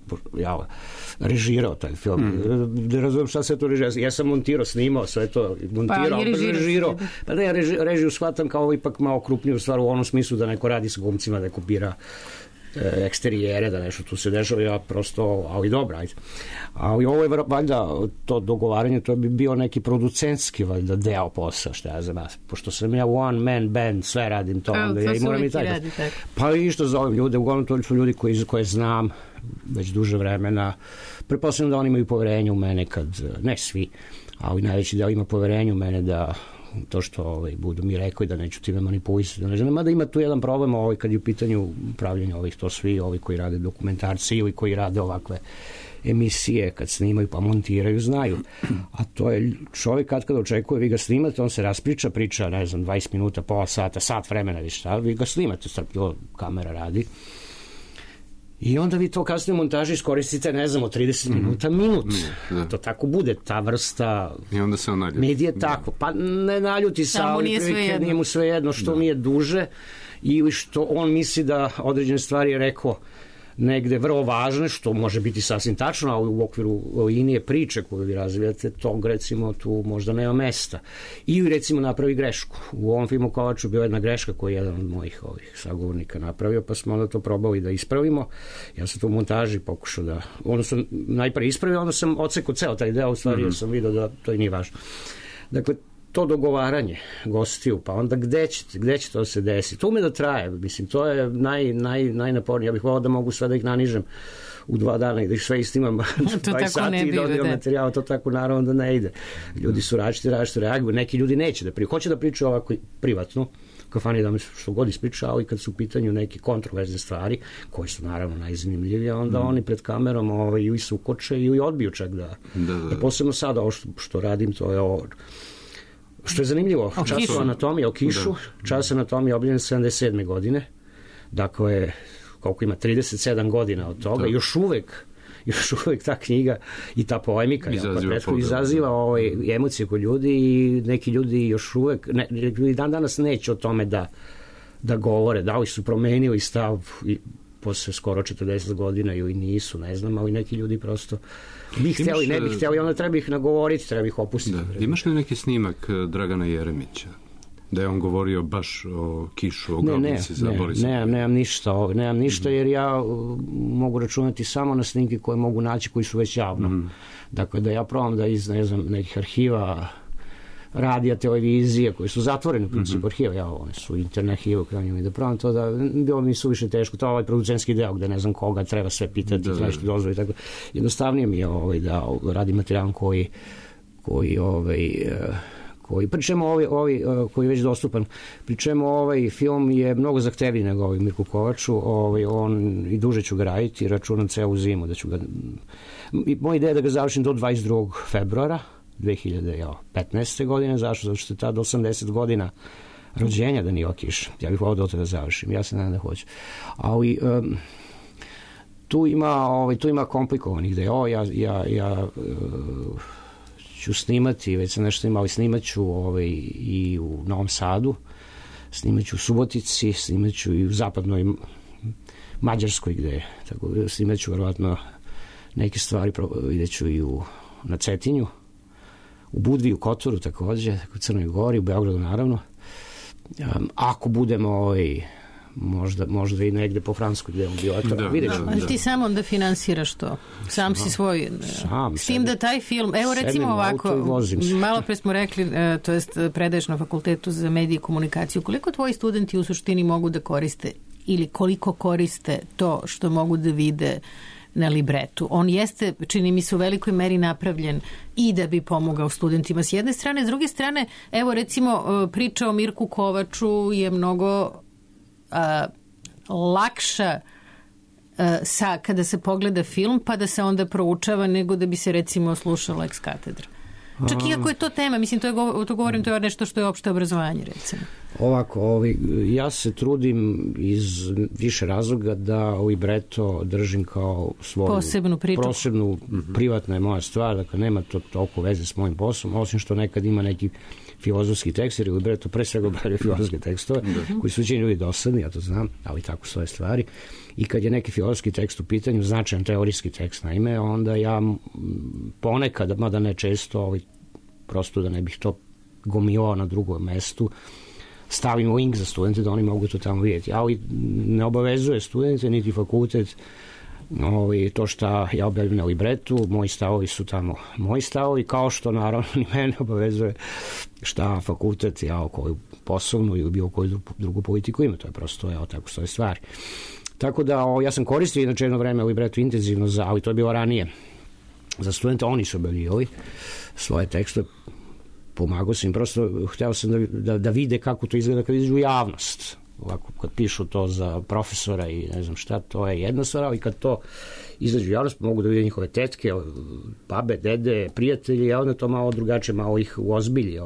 režirao taj film. Ne razumijem šta se to režirao. Ja sam montirao, snimao sve to, režirao. Pa ne, režiju shvatam kao ipak malo krupniju stvar u onom smislu da neko radi sa glumcima, da kopira eksterijere, da nešto tu se dešava, ja prosto, ali dobro, ajde. Ali ovo je valjda to dogovaranje, to bi bio neki producentski valjda deo posla, što ja za nas, pošto sam ja one man band, sve radim to, onda ja i moram i taj. Pa i što zovem ljude, uglavnom to su ljudi koje znam već duže vremena, pretpostavljam da oni imaju poverenje u mene kad, ne svi, ali najveći deo ima poverenje u mene da to što budu mi rekli da neću time manipulisati. Mada ima tu jedan problem kad je u pitanju pravljenja to svi, ovi koji rade dokumentarci ili koji rade ovakve emisije kad snimaju pa montiraju, znaju. A to je čovjek kad očekuje, vi ga snimate, on se raspriča, priča, ne znam, 20 minuta, pola sata, sat vremena, vi ga snimate, strpljivo kamera radi. I onda vi to kasnije u montaži iskoristite, ne znam, od 30 minuta, minut. To tako bude, ta vrsta i onda se on naljuti. Medije tako. Pa ne naljuti se, ali nije mu svejedno što nije duže ili što on misli da određene stvari je rekao negde vrlo važne, što može biti sasvim tačno, ali u okviru linije priče koju vi razvijate, tog recimo tu možda nema mesta. Ili recimo napravi grešku. U ovom filmu Kovaču bila jedna greška koju je jedan od mojih sagovornika napravio, pa smo onda to probali da ispravimo. Ja sam to u montaži pokušao da, onda sam najprije ispravio, onda sam odsekao ceo taj deo, u stvari jer sam vidio da to i nije važno. Dakle, to dogovaranje gostiju, pa onda gde će to se desiti? To ume da traje, mislim, to je najnapornije. Ja bih volao da mogu sve da ih nanižem u 2 dana i da ih sve istimam 20 sati i dodijem materijal, to tako naravno da ne ide. Ljudi su različiti reaguju, neki ljudi neće da pričaju, hoće da pričaju ovako privatno, kafani da mi što god ispriča, ali kad su u pitanju neke kontroverzne stvari, koje su naravno najzanimljivije, onda oni pred kamerom ili se ukoče ili odbiju čak da. Posebno sada ovo što radim, to je ovo. Što je zanimljivo, čas anatomije o Kišu, čas anatomije obljen 77. godine, dakle, koliko ima, 37 godina od toga, još uvek ta knjiga i ta polemika izaziva emocije kod ljudi i neki ljudi još uvek dan danas neće o tome da govore, da li su promenili stav i posle skoro 40 godina ili nisu, ne znam, ali neki ljudi prosto bi htjeli, ne bi htjeli, onda treba ih nagovoriti, treba ih opustiti. Imaš li neki snimak Dragana Jeremića? Da je on govorio baš o kišu, o grobnici za Borisa? Nemam ništa jer ja mogu računati samo na snimke koje mogu naći koji su već javno. Dakle, da ja probam da iz, ne znam, nekih arhiva, radija, televizije, koji su zatvoreni u principu arhiva, one su internet arhiva u krajnjom, i da probam to da bilo mi suviše teško, to je ovaj producentski deo gde ne znam koga treba sve pitati, nešto dozvoli, tako. Jednostavnije mi je da radim materijal koji pričemu koji je već dostupan, pričemu ovaj film je mnogo zahtevniji nego ovaj Mirku Kovaču, on i duže ću ga raditi, računam celu zimu da ću ga, moja ideja je da ga završim do 22. februara 2015. godine, zašto? Zato što je tada 80 godina rođenja Danila Kiša, ja bih volao da završim, ja se nadam da hoću, ali tu ima komplikovanih ideja, ja ću snimati, već sam nešto imao, snimat ću i u Novom Sadu, snimat ću u Subotici, snimat ću i u zapadnoj Mađarskoj gde, tako snimat ću verovatno neke stvari, vidjet ću i na Cetinju, u Budvi, u Kotoru takođe, u Crnoj Gori, u Beogradu naravno. Ako budemo možda i negde po Francuskoj gde on bio. Ali ti samo onda finansiraš to. Sam si svoj... S tim da taj film... Evo recimo ovako, malo pre smo rekli, to jest predaješ na Fakultetu za medije i komunikaciju. Koliko tvoji studenti u suštini mogu da koriste ili koliko koriste to što mogu da vide na libretu? On jeste, čini mi se, u velikoj meri napravljen i da bi pomogao studentima s jedne strane. S druge strane, evo recimo priča o Mirku Kovaču je mnogo lakša kada se pogleda film pa da se onda proučava nego da bi se recimo slušala ex katedra. Čak i ako je to tema, mislim, to govorim, to je nešto što je opšte obrazovanje, recimo. Ovako, ja se trudim iz više razloga da libreto držim kao svoju posebnu priču. Privatna je moja stvar, dakle nema to toliko veze s mojim poslom, osim što nekad ima neki filozofski tekst, jer libreto pre svega obradio filozofske tekstove, koji su učini ljudi dosadni, ja to znam, ali tako svoje stvari. I kad je neki filozofski tekst u pitanju, značajan teorijski tekst naime, onda ja ponekad, mada ne često, prosto da ne bih to gomilao na drugom mestu, stavim link za studente da oni mogu to tamo vidjeti. Ali ne obavezuje studente, niti fakultet, to što ja objavljam na libretu, moji stavovi su tamo moji stavovi, kao što naravno ni mene obavezuje šta fakultet, koju poslovnu ili bilo koju drugu politiku ima, to je prosto, tako stoje stvari. Tako da ja sam koristio inače jedno vreme libretu intenzivno, ali to je bilo ranije za studente, oni su objavljivali svoje tekstove, pomagao sam im, prosto hteo sam da vide kako to izgleda kad izađu u javnost. Ovako, kad pišu to za profesora i ne znam šta, to je jedna stvar, ali kad to izađu u javnost, mogu da vide njihove tetke, babe, dede, prijatelji, a onda to malo drugačije, malo ih uozbilji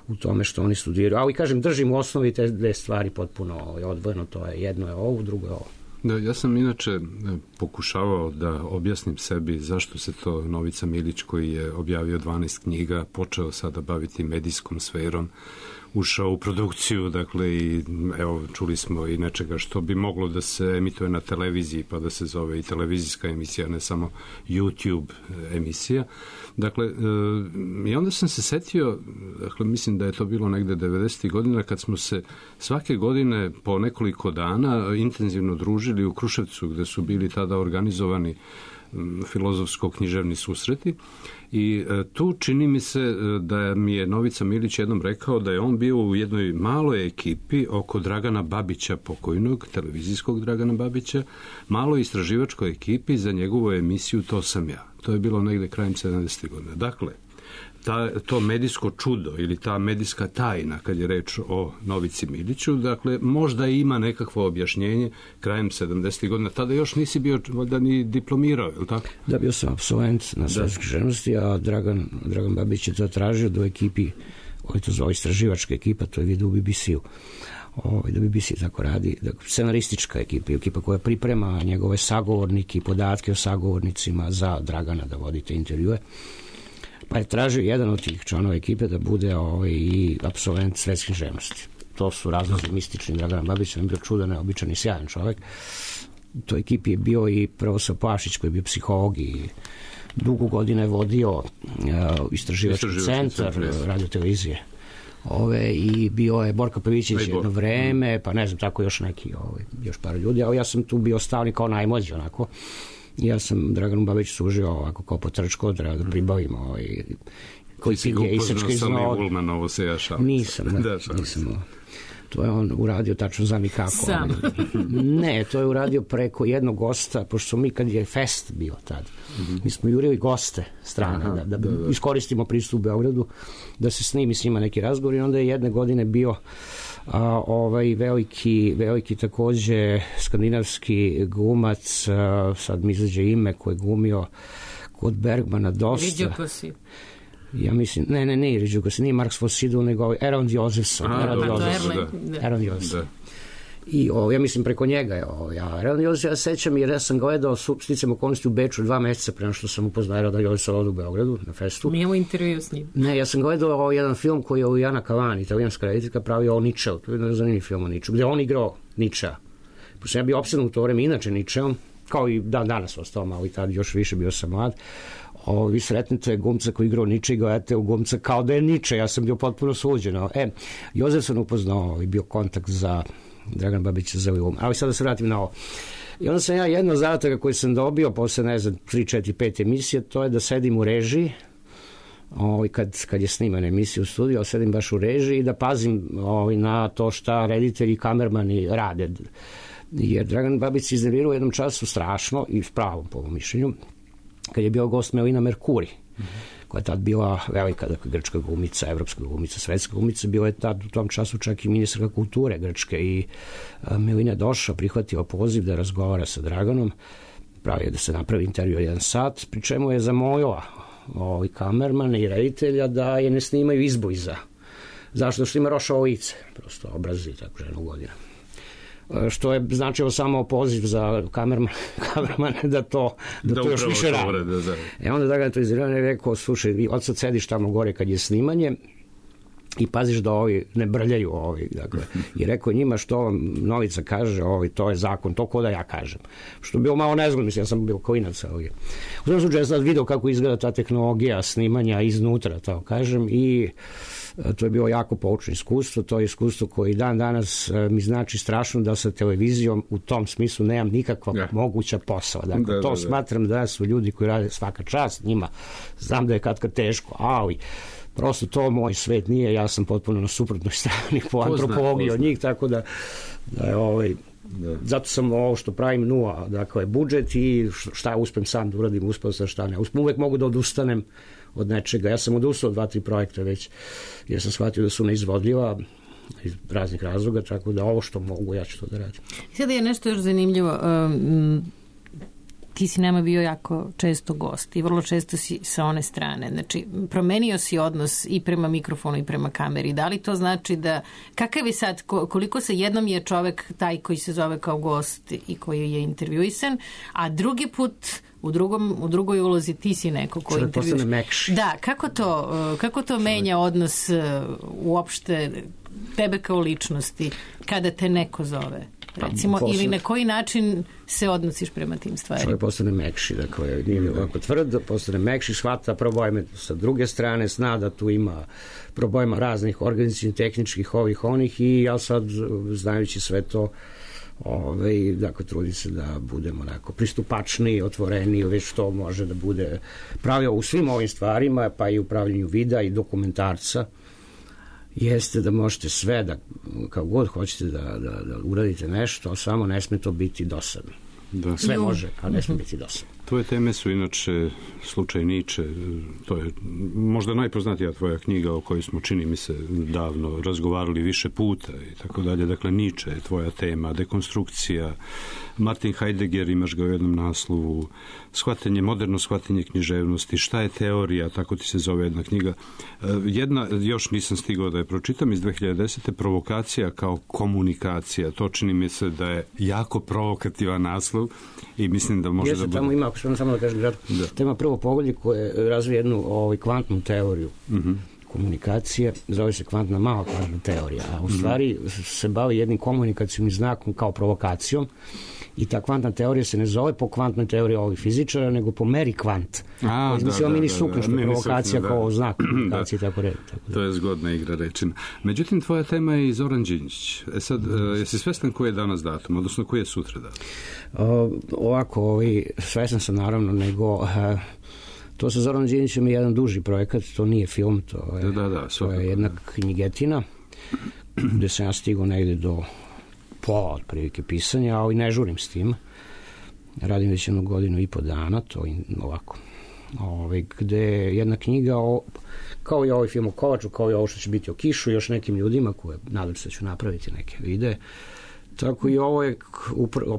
u tome što oni studiraju. Ali, kažem, držim u osnovi te dve stvari potpuno odvojeno, to je jedno je ovo, drugo je ovo. Da, ja sam inače pokušavao da objasnim sebi zašto se to Novica Milić, koji je objavio 12 knjiga, počeo sada baviti medijskom sferom, ušao u produkciju, dakle, i evo, čuli smo i nečega što bi moglo da se emituje na televiziji, pa da se zove i televizijska emisija, ne samo YouTube emisija. Dakle, i onda sam se setio, dakle, mislim da je to bilo negde 90. godina, kad smo se svake godine po nekoliko dana intenzivno družili u Kruševcu, gde su bili tada organizovani filozofsko-književni susreti, i tu čini mi se da mi je Novica Milić jednom rekao da je on bio u jednoj maloj ekipi oko Dragana Babića, pokojnog, televizijskog Dragana Babića, maloj istraživačkoj ekipi za njegovu emisiju To sam ja. To je bilo negde krajem 70. godina. Dakle, to medijsko čudo ili ta medijska tajna, kad je reč o Novici Miliću, dakle, možda ima nekakvo objašnjenje krajem 70. godina. Tada još nisi bio valjda ni diplomirao, je li tako? Da, bio sam absolvent na svetskoj književnosti, a Dragan Babić je to tražio do ekipi, koji to zove istraživačka ekipa, to je vidio u BBC-u. da BBC tako radi, scenaristička ekipa koja priprema njegove sagovornike i podatke o sagovornicima za Dragana da vodite intervjue. Pa je tražio jedan od tih članova ekipe da bude i apsolvent svetske književnosti. To su razlozi mistični Dragana Babića, on je bio čudan, neobičan i sjajan čovek. U toj ekipi je bio i profesor Pašić koji je bio psiholog i dugo godina je vodio istraživački centar radiotelevizije. I bio je Borka Pavićević jedno vreme, pa ne znam, tako još neki, još par ljudi, a ja sam tu bio stalni kao najmlađi, onako. Ja sam Draganu Babiću služio ovako kao potrčko, da pribavim koji si ga upoznao sa Li Ulmanovo se jašao. Nisam. To je on uradio, tačno znam i kako. Sam. Ne, to je uradio preko jednog gosta, pošto smo mi, kad je fest bio tad, mi smo jurili goste strane, da iskoristimo pristup u Beogradu, da se snimi s njima neki razgovor, i onda je jedne godine bio veliki takođe skandinavski glumac, sad mi izađe ime, koji je glumio kod Bergmana dosta. Riđo Kosi. Ja mislim, ne Riđugas, nije Marks von Sydow, nego Erland Josefsson. Erland Josefsson. I ja mislim preko njega je Erland Josefsson, ja sećam jer ja sam gledao sticam okolnosti u Beču 2 meseca prema što sam upoznao Erlanda Josefssona u Beogradu na festu. Mi imamo intervju s njim. Ne, ja sam gledao jedan film koji je Jana Kalani, italijanska rediteljka, pravio o Ničeu, to je jedan zanimljiv film o Ničeu, gde on igrao Ničea. Pošto sam ja bio opsednut u to vreme inače Ničeom, kao i danas ostao malo i tad još više, bio sam mlad. Vi sretnete glumca koji igrao Niče i gledate u glumca kao da je Niče, ja sam bio potpuno suđen. Jozefson upoznao i bio kontakt za Dragan Babića za Li. Ali sad da se vratim na ovo. I onda sam ja jedno zadataka koji sam dobio posle, 3, 4, 5 emisije, to je da sedim u režiji, kad je snimana emisija u studiju, sedim baš u režiji i da pazim na to šta reditelji i kamermani rade. Jer Dragan Babić se iznervirao u jednom času strašno i s pravom po mišljenju, kad je bio gost Melina Merkuri, koja je tad bila velika grčka glumica, evropska glumica, svetska glumica, bila je tad u tom času čak i ministarka kulture Grčke i Melina je došla, prihvatila poziv da razgovara sa Draganom, pravio da se napravi intervju 1 sat, pri čemu je zamolila kamermana i reditelja da je ne snimaju izbliza. Zašto? Što ima rošavo lice, prosto obrazi tako ženu godina. Što je značilo samo poziv za kamermane da to još više radi. Onda Dragan to izirano je rekao, slušaj, vi od sad sediš tamo gore kad je snimanje i paziš da ovi ne brljaju dakle. I rekao njima što vam Novica kaže, to je zakon, to ko da ja kažem. Što je bilo malo nezgodno, mislim, ja sam bio klinac. U tom slučaju ja sam video kako izgleda ta tehnologija snimanja iznutra, tako kažem, i to je bilo jako poučno iskustvo, to je iskustvo koji dan danas mi znači strašno da sa televizijom u tom smislu nemam nikakva moguća posla. Dakle, to smatram da su ljudi koji rade svaka čast njima, znam da je kad teško, ali prosto to moj svet nije, ja sam potpuno na suprotnoj strani po antropologiji od njih, tako da je zato sam ovo što pravim 0, dakle budžet i šta uspem sam da uradim, uspeo sam šta ne. Uvek mogu da odustanem od nečega. Ja sam odustao od 2-3 projekta već, jer sam shvatio da su neizvodljiva iz raznih razloga, tako da ovo što mogu, ja ću to da radim. Sada je nešto još zanimljivo. Ti si nama bio jako često gost i vrlo često si sa one strane. Znači, promenio si odnos i prema mikrofonu i prema kameri. Da li to znači da, kakav je sad, koliko se jednom je čovek taj koji se zove kao gost i koji je intervjuisan, a drugi put u drugoj ulozi ti si neko koji intervjuiš. Da, kako to menja odnos uopšte tebe kao ličnosti kada te neko zove? Recimo, ili na koji način se odnosiš prema tim stvarima? Čovjek postane mekši, dakle, nije ovako tvrd, postane mekši, shvata probleme sa druge strane, zna da tu ima problema raznih organizacijnih, tehničkih, onih i ja sad, znajući sve to, dakle, trudim se da budemo onako pristupačni, otvoreni, već to može da bude pravilo u svim ovim stvarima, pa i u pravljenju videa i dokumentarca, jeste da možete sve, da kao god hoćete da uradite nešto, samo ne sme to biti dosadno. Da. Sve može, a ne smije biti dosadno. Tvoje teme su inače slučaj Niče, to je možda najpoznatija tvoja knjiga o kojoj smo, čini mi se, davno razgovarali više puta i tako dalje. Dakle, Niče je tvoja tema, dekonstrukcija, Martin Heidegger, imaš ga u jednom naslovu, moderno shvatanje književnosti, šta je teorija, tako ti se zove jedna knjiga. Jedna, još nisam stigao da je pročitam, iz 2010. Provokacija kao komunikacija. To čini mi se da je jako provokativan naslov i mislim da može da bude... Tamo ima, ako što samo da kažem kratko, tema prvo poglavlje koje razvije jednu kvantnu teoriju komunikacije, zove se kvantna mala kvantna teorija, a u stvari se bavi jednim komunikacijnim znakom kao provokacijom i ta kvantna teorija se ne zove po kvantnoj teoriji ovih fizičara, nego po meri kvant. Izmislio mini sukno, što je provokacija kao znak komunikacije, tako redom. To je zgodna igra rečina. Međutim, tvoja tema je i Zoran Đinđić. Sad, jesi svestan koji je danas datum, odnosno koji je sutra datum? Ovako, svestan sam naravno, nego... To sa Zoranom Đinđićem je jedan duži projekat, to nije film, to je jedna knjigetina gde sam ja stigao negde do pola otprilike pisanja, ali ne žurim s tim. Radim već 1 godinu i po dana, to ovako. Gde je jedna knjiga kao i ovaj film o Kovaču, kao i ovo što će biti o Kišu, još nekim ljudima koje nadam se da ću napraviti neke videe. Tako i ovo je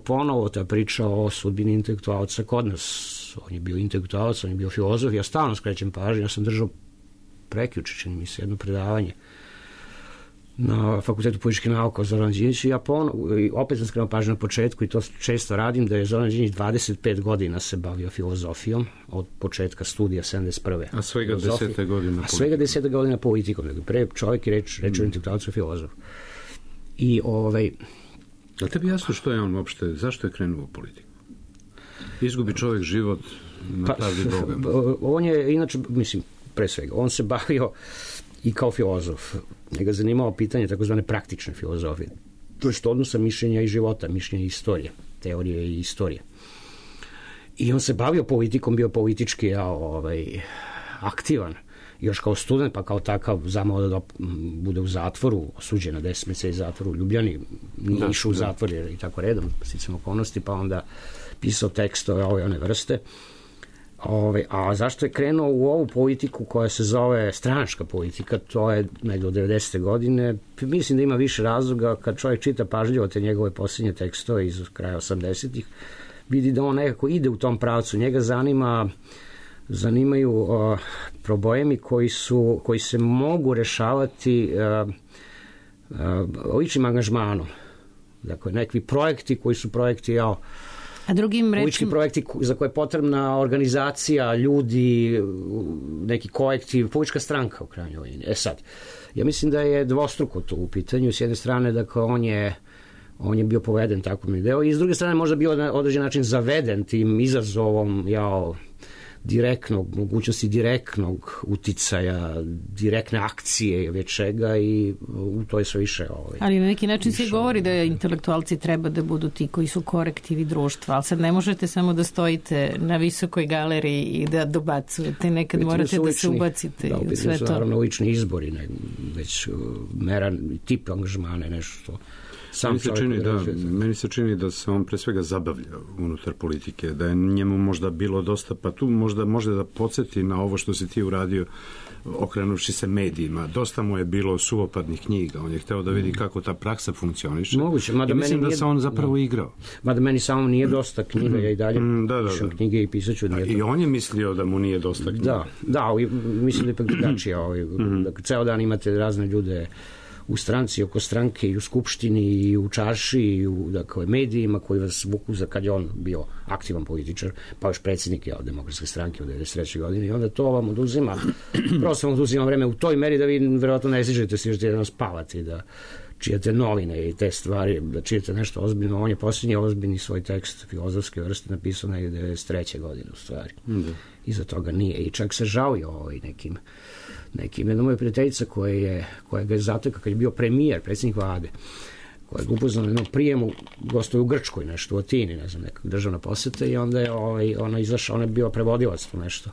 ponovo ta priča o sudbini intelektualca kod nas. On je bio intelektualac, on je bio filozof, ja stalno skrećem pažnju, ja sam držao prekjuče, čini mi se, jedno predavanje na Fakultetu političkih nauka o Zoran Đinđić i ja opet sam skrenuo pažnju na početku i to često radim, da je Zoran Đinđić 25 godina se bavio filozofijom od početka studija 71. A svega 10 godina politikom. A svega 10 godina politikom. Pre čovjek je reč o intelektualcu filozofu. I A tebi jasno što je on uopšte, zašto je krenuo u politiku? Izgubi čovjek život na pravdi Boga. On je, inače, mislim, pre svega, on se bavio i kao filozof. Njega zanimalo pitanje takozvane praktične filozofije. To je što odnosa mišljenja i života, mišljenja i istorije, teorije i istorije. I on se bavio politikom, bio politički aktivan. Još kao student, pa kao takav zamao da bude u zatvoru, osuđen na 10 mjeseci zatvoru u Ljubljani, nije išao u zatvor i tako redom, sticam okolnosti, pa onda pisao tekstove ove one vrste. A zašto je krenuo u ovu politiku koja se zove stranačka politika, to je negdje od 90. godine. Mislim da ima više razloga. Kad čovjek čita pažljivo te njegove posljednje tekstove iz kraja 80-ih, vidi da on nekako ide u tom pravcu. Njega zanimaju problemi koji se mogu rešavati ličnim angažmanom. Dakle, neki projekti koji su projekti politički projekti za koje je potrebna organizacija, ljudi, neki kolektiv, politička stranka u krajnjoj liniji. Sad, ja mislim da je dvostruko to u pitanju. S jedne strane, dakle, on je bio poveden takvom idejom i s druge strane možda bio na određen način zaveden tim izazovom mogućnosti direktnog uticaja, direktne akcije već čega i to je sve više. Ali na neki način se govori da intelektualci treba da budu ti koji su korektivi društva, ali sad ne možete samo da stojite na visokoj galeriji i da dobacujete, nekad morate da se ubacite u sve to. Naravno lični izbori, već meran tip angažmana, nešto Meni se čini da se on pre svega zabavlja unutar politike, da je njemu možda bilo dosta, pa tu možda može da podsjeti na ovo što si ti uradio okrenuši se medijima. Dosta mu je bilo suvopadnih knjiga, on je hteo da vidi kako ta praksa funkcioniše. Moguće, i mislim da se on zapravo igrao. Mada meni samo nije dosta knjiga, ja i dalje pišem knjige i pisat ću. I on je mislio da mu nije dosta knjiga. Da, mislim da je ipak drugačije. Ceo dan imate razne ljude u stranci, oko stranke i u skupštini i u čarši i u medijima koji vas vuku za kad je on bio aktivan političar, pa još predsjednik Demokratske stranke u 93. godini i onda to vam oduzima, prosto vam oduzima vreme u toj meri da vi verovatno ne stižete jedno spavati, da čijete novine i te stvari, da čijete nešto ozbiljno. On je posljednji ozbiljni svoj tekst filozofske vrste napisao negdje 93. godine u stvari. Iza toga nije. I čak se žalio nekim jedna moja prijateljica koja ga je zatekla kad je bio premijer, predsjednik vlade, koja je upoznala na jednom prijemu, gostuje u Grčkoj nešto, u Atini, ne znam, neka državna poseta i onda je ona izašla, ona je bila prevodilac to nešto,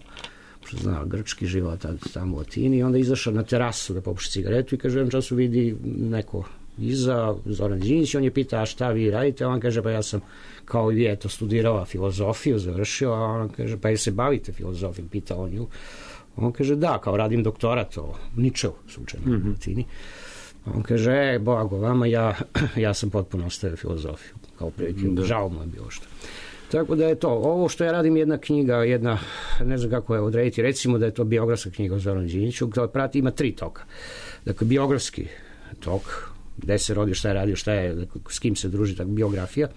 što zna, grčki život tamo u Atini i onda je izašla na terasu da popuši cigaretu i kaže, u jednom času vidi neko iza Zoran Đinđić, on je pitao, a šta vi radite? On kaže, pa ja sam kao i vi, eto, studirao filozofiju, završio, a on kaže, pa jel se bavite filozofijom? Pitao on nju. On kaže, da, kao radim doktorat o Ničeu, slučajno u Latini. On kaže, blago vama, ja sam potpuno ostavio filozofiju, kao prilike, žao mu je bilo što. Tako da je to, ovo što ja radim jedna knjiga, ne znam kako je odrediti, recimo da je to biografska knjiga o Zoranu Đinđiću, koja prati, ima 3 toka. Dakle, biografski tok, gde se rodio, šta je radio, s kim se druži, tako biografija.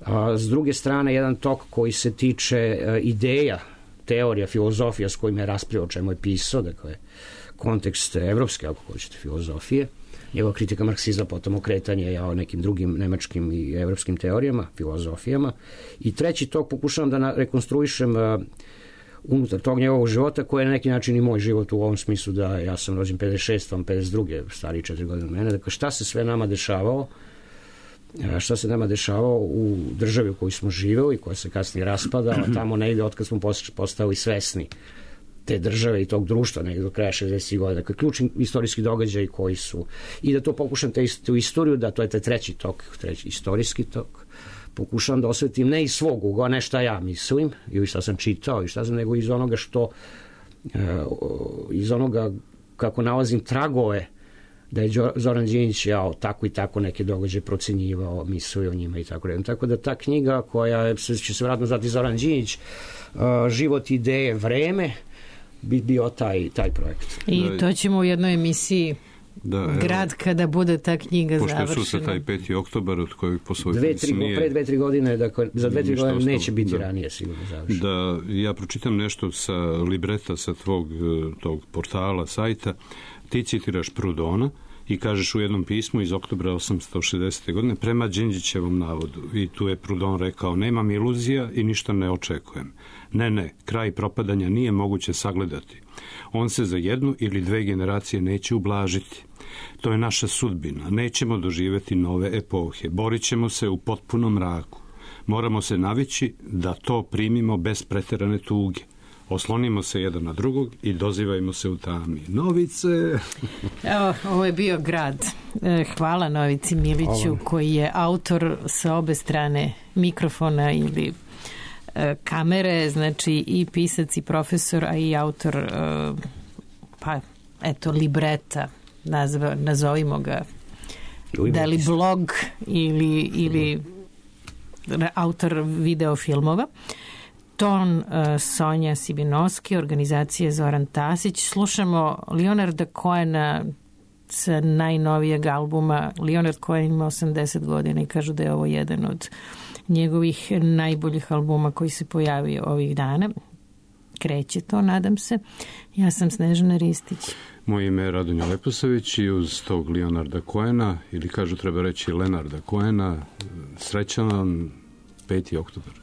A s druge strane, jedan tok koji se tiče ideja, teorija, filozofija s kojima je raspravljao, o čemu je pisao, dakle, kontekst evropske, ako hoćete, filozofije, njegova kritika marksizma, potom okretanje o nekim drugim nemačkim i evropskim teorijama, filozofijama. I treći tok pokušavam da rekonstruišem unutar tog njegovog života, koji je na neki način i moj život u ovom smislu da ja sam rođen 56, on 52, stariji 4 godine od mene. Dakle, šta se sve nama dešavalo, u državi u kojoj smo živeli, koja se kasnije raspadala, tamo negde otkad smo postali svesni te države i tog društva, negde do kraja 60. godina. Dakle, ključni istorijski događaj koji su, i da to pokušam tu istoriju, da to je taj treći istorijski tok, pokušam da osvetim ne iz svog ugla, ne šta ja mislim, ili šta sam čitao, nego iz onoga iz onoga kako nalazim tragove da je Zoran Đinđić tako i tako neke događaje procenjivao, mislio o njima i tako redom. Tako da ta knjiga koja će se vratno zvati Zoran Đinđić, život, ideje, vreme, bi bio taj projekt. I to ćemo u jednoj emisiji grad kada bude ta knjiga završena. Pošto je sutra taj 5. oktobar od kojeg po svojoj pre 2-3 godine, dakle, za 2-3 godine neće biti ranije sigurno završeno. Da, ja pročitam nešto sa libreta sa tog portala, sajta. Ti citiraš Proudhona i kažeš u jednom pismu iz oktobra 1860. godine prema Đinđićevom navodu. I tu je Proudhon rekao, nemam iluzija i ništa ne očekujem. Ne, kraj propadanja nije moguće sagledati. On se za 1 ili 2 generacije neće ublažiti. To je naša sudbina. Nećemo doživjeti nove epohe. Borit ćemo se u potpunom mraku. Moramo se navići da to primimo bez preterane tuge. Oslonimo se jedan na drugog i dozivajmo se u tami. Novice! Evo, ovo je bio grad. Hvala Novici Miliću, koji je autor sa obe strane mikrofona ili kamere, znači i pisac i profesor, a i autor libreta, nazovimo ga, da li blog ili autor videofilmova. Ton Sonja Sibinovski, organizacija Zoran Tasić. Slušamo Leonarda Cohena sa najnovijeg albuma. Leonard Cohen ima 80 godina i kažu da je ovo jedan od njegovih najboljih albuma koji se pojavio ovih dana. Kreće to, nadam se. Ja sam Snežana Ristić. Moje ime je Radonja Leposavić i uz tog Leonarda Cohena, ili kažu treba reći Lenarda Cohena, srećan vam 5. oktobar.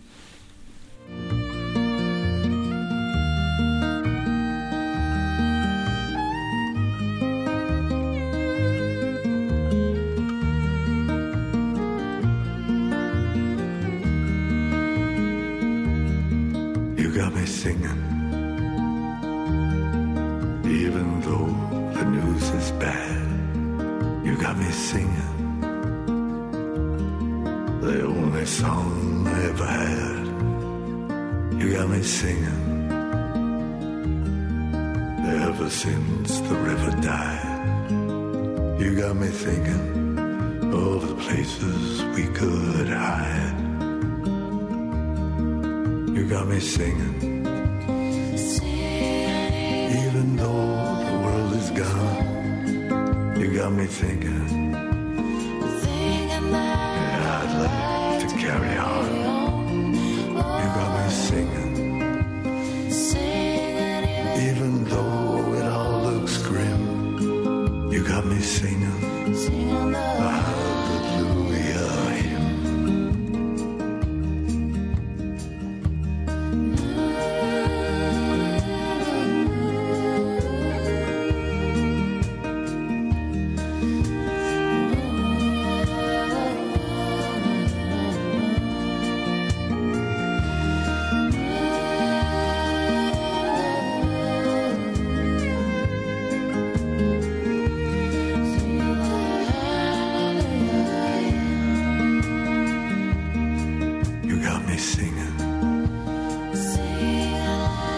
You got me singing, even though the news is bad. You got me singing, the only song I ever had. You got me singing, ever since the river died. You got me thinking of the places we could hide. You got me singing, even though the world is gone. You got me thinking, yeah, I'd like to carry on. You got me singing, even though it all looks grim. You got me singing a hallelujah hymn.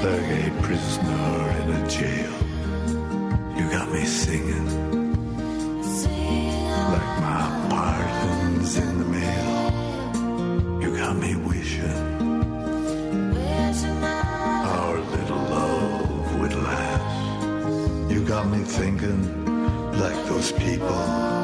like a prisoner in a jail. You got me singing like my pardon's in the mail. You got me wishing our little love would last. You got me thinking like those people